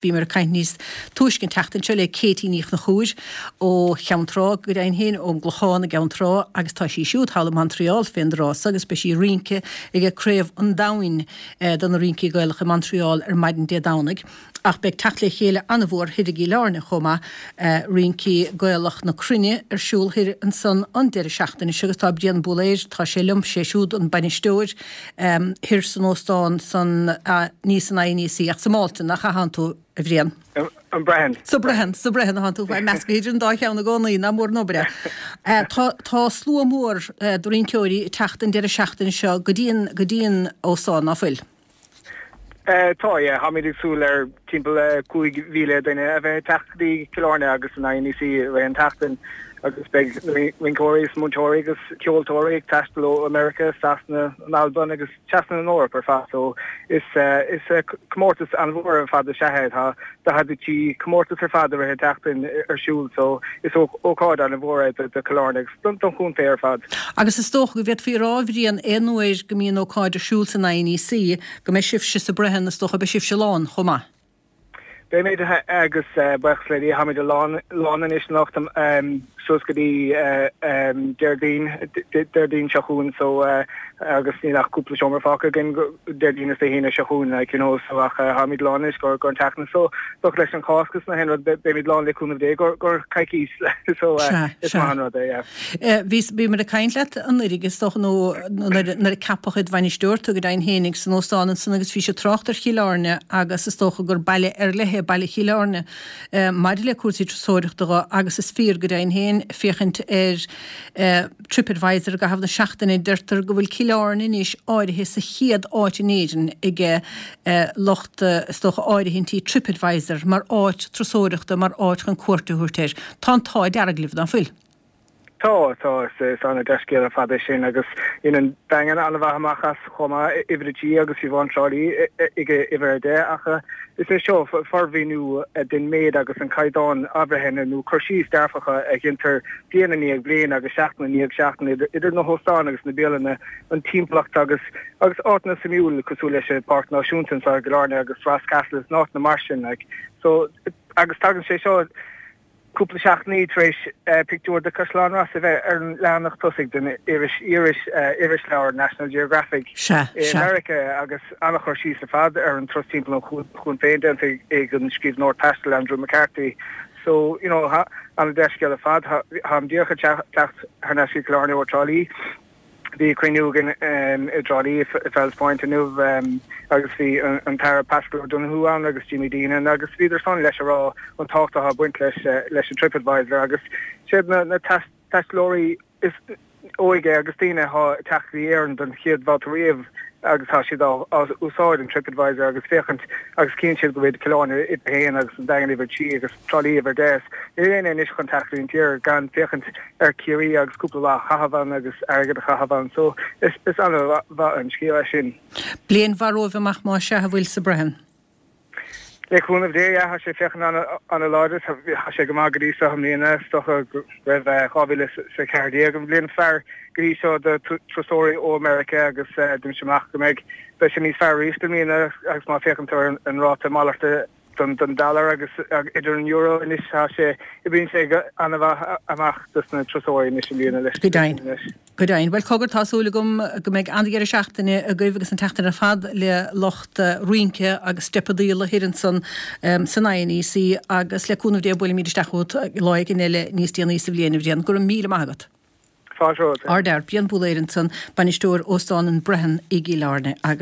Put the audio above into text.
Bhíomar ag caint níos túisce an tseachtain seo le Katie Ní Chonchúir ó Cheann Trá, go deimhin féin ón gClochán i gCeann Trá agus tá sí siúd thall i Montreal fén dtráth so agus beidh sí ag rince ag Craobh an Domhain do na Rincí Gaelacha i Montreal ar maidin Dé Domhnaigh. Ach beidh teacht le chéile an-mhór thoir i gCill Airne chomh maith, Rincí Gaelach na Cruinne ar siúl thoir ansan an deireadh seachtaine seo agus tá Brian Búlaeir, tá sé liom, sé siúd an bainisteoir, Thoir san óstán san, ní san INEC ach sa Maldon, nach ea atánn tú, a Bhriain? An Brehon. Sa Brehon, sa Brehon atánn tú, ag meascadh idir an dá cheann i gcónaí, nach mór an obair é. Tá, tá slua mór de rinceoirí ag teacht an deireadh seachtaine seo go dtí an, go dtí an óstán, ná fuil? Tá, yeah. Táimid ag súil ar timpeall 5,000 duine a bheith ag teacht go dtí Cill Airne agus an INEC i rith an tseachtain agus beidh rinceoirí is múinteoirí agus ceoltóirí ag taisteal ó America, Sasana, an Albain agus trasna an Eoraip ar fad so is is comórtas an-mhór ar fad is ea é. Tá 43 comórtas ar fad i rith an tseachtain ar siúl so is ócáid an-mhór é do Chill Airne agus don chontae ar fad. Agus is dócha go bhféadfaí a rá, a Bhriain, aon uair go mbíonn ócáid ar siúl san INEC, go mbeidh sibhse sa Brehon, is dócha, beidh sibhse lán chomh maith. Beimid, agus buíochas le Dia, táimid lán, lán anois anocht suas go dtí Déardaoin, Déardaoin seo chugainn so agus níl ach cúpla seomra fágtha againn Déardaoin is Dé hAoine seo chugainn like you know so ach táimid lán anois go an tseachtain so dócha leis an Chásc is na haon rud beimid lán le cúnamh Dé go go coicís so is maith an rud é yeah. Bhí, bhíomar ag caint leat anuraidh is dócha nó nuair a ceapadh id bhainisteoir tú go deimhin fhéinig san óstán ansan agus bhís ag trácht ar Chill Airne agus is dócha gur baile ar leith é baile Chill Airne maidir le cúrsaí turasóireachta dho agus is fíor go deimhin féin féachaint ar Tripadvisor i gcaitheamh na seachtaine deirtear go bhfuil Cill Airne anois áirithe sa chéad áit in Éirinn ag lucht is dócha áirithintí Tripadvisor mar áit turasóireachta mar áit chun cuairt a thabhairt air. Tá an t-ádh dearg libh, ná fuil? Tá, tá, is an-dea-scéal ar fad é sin agus dhein an Daingean an-mhaith amach as chomh maith, uimhir a trí agus fiú amháin Trá Lí ag uimhir a 10 ach is é seo formhuiniú den méid agus an caighdeán athbhreithnithe nó cur síos dearfacha a dheintear bliain i ndiaidh bliain agus seachtain i ndiaidh seachtain idir na hóstáin agus na bialanna, an timpeallacht agus agus áiteanna suimiúil cosúil leis an Pháirc Náisiúnta anseo i gCill Airne agus Ross Castle is na áiteanna mar sin like. So agus tagann sé seo Cúpla seachtainí tar éis pictiúr de Caisleán Rois a bheith ar an leathanach tosaigh den iris irisleabhar National Geographic i Meiriceá agus an-chur síos ar fad ar an turas timpeall an chuain féin déanta ag an scríbhneoir taistil Andrew McCarthy. So, you know, an-dea-scéal ar fad. Táim díreach ag teacht thar n-ais go Cill Airne ó Trá Lí. Bhí cruinniú againn i dTrá Lí i Fells Point inniu agus bhí an tAire Paschal Donohoe ann agus Jimmy Deenihan agus bhíodar san leis a rá an tábhacht atá ag baint leis leis an TripAdvisor agus siad na na taistealóirí is óige agus daoine atá ag teacht go dtí Éirinn don chéad bhabhta riamh agus tá siad á úsáid an TripAdvisor agus féachaint agus cíonn siad go bhfuil Cill Airne uimhir a haon agus an Daingean uimhir 3 agus Trá Lí uimhir 10. Níl éinne anois chun teacht go dtí an tír gan féachaint ar Ciarraí agus cúpla lá a chaitheamh ann agus airgead a chaitheamh ann so is is an-mhaith an scéal é sin. Bliain mhaith romhaibh amach más ea a bhfuil sa Brehon. Le cúnamh Dé, yeah, tá sé féachaint an-láidir, tá sé go maith go dtí seo i mbliana, is dócha go raibh 2014 an bhliain is fearr go dtí seo do turasóirí ó Meiriceá agus deinimse amach go mbeidh, beidh sé níos fearr arís i mbliana agus má féachann tú ar an ráta malairte don dollar agus idir an euro anois tá sé, oibríonn sé go an-mhaith amach dos na turasóirí anois i mbliana leis. Go deimhin. Go deimhin. Bhuel, cogar, tá súil agam go mbeidh an-dheireadh seachtaine agaibh agus an tseachtain ar fad le lucht rince agus steipeadaíola thoir ansan san INEC agus le cúnamh Dé buailfimid isteach chugat lá éigin eile níos déanaí sa bhliain, a Bhriain. Go raibh míle maith agat. Fáilte romhat. Ardfhear. Brian Búlaeir ansan, bainisteoir Óstán an Brehon i gCill Airne agus.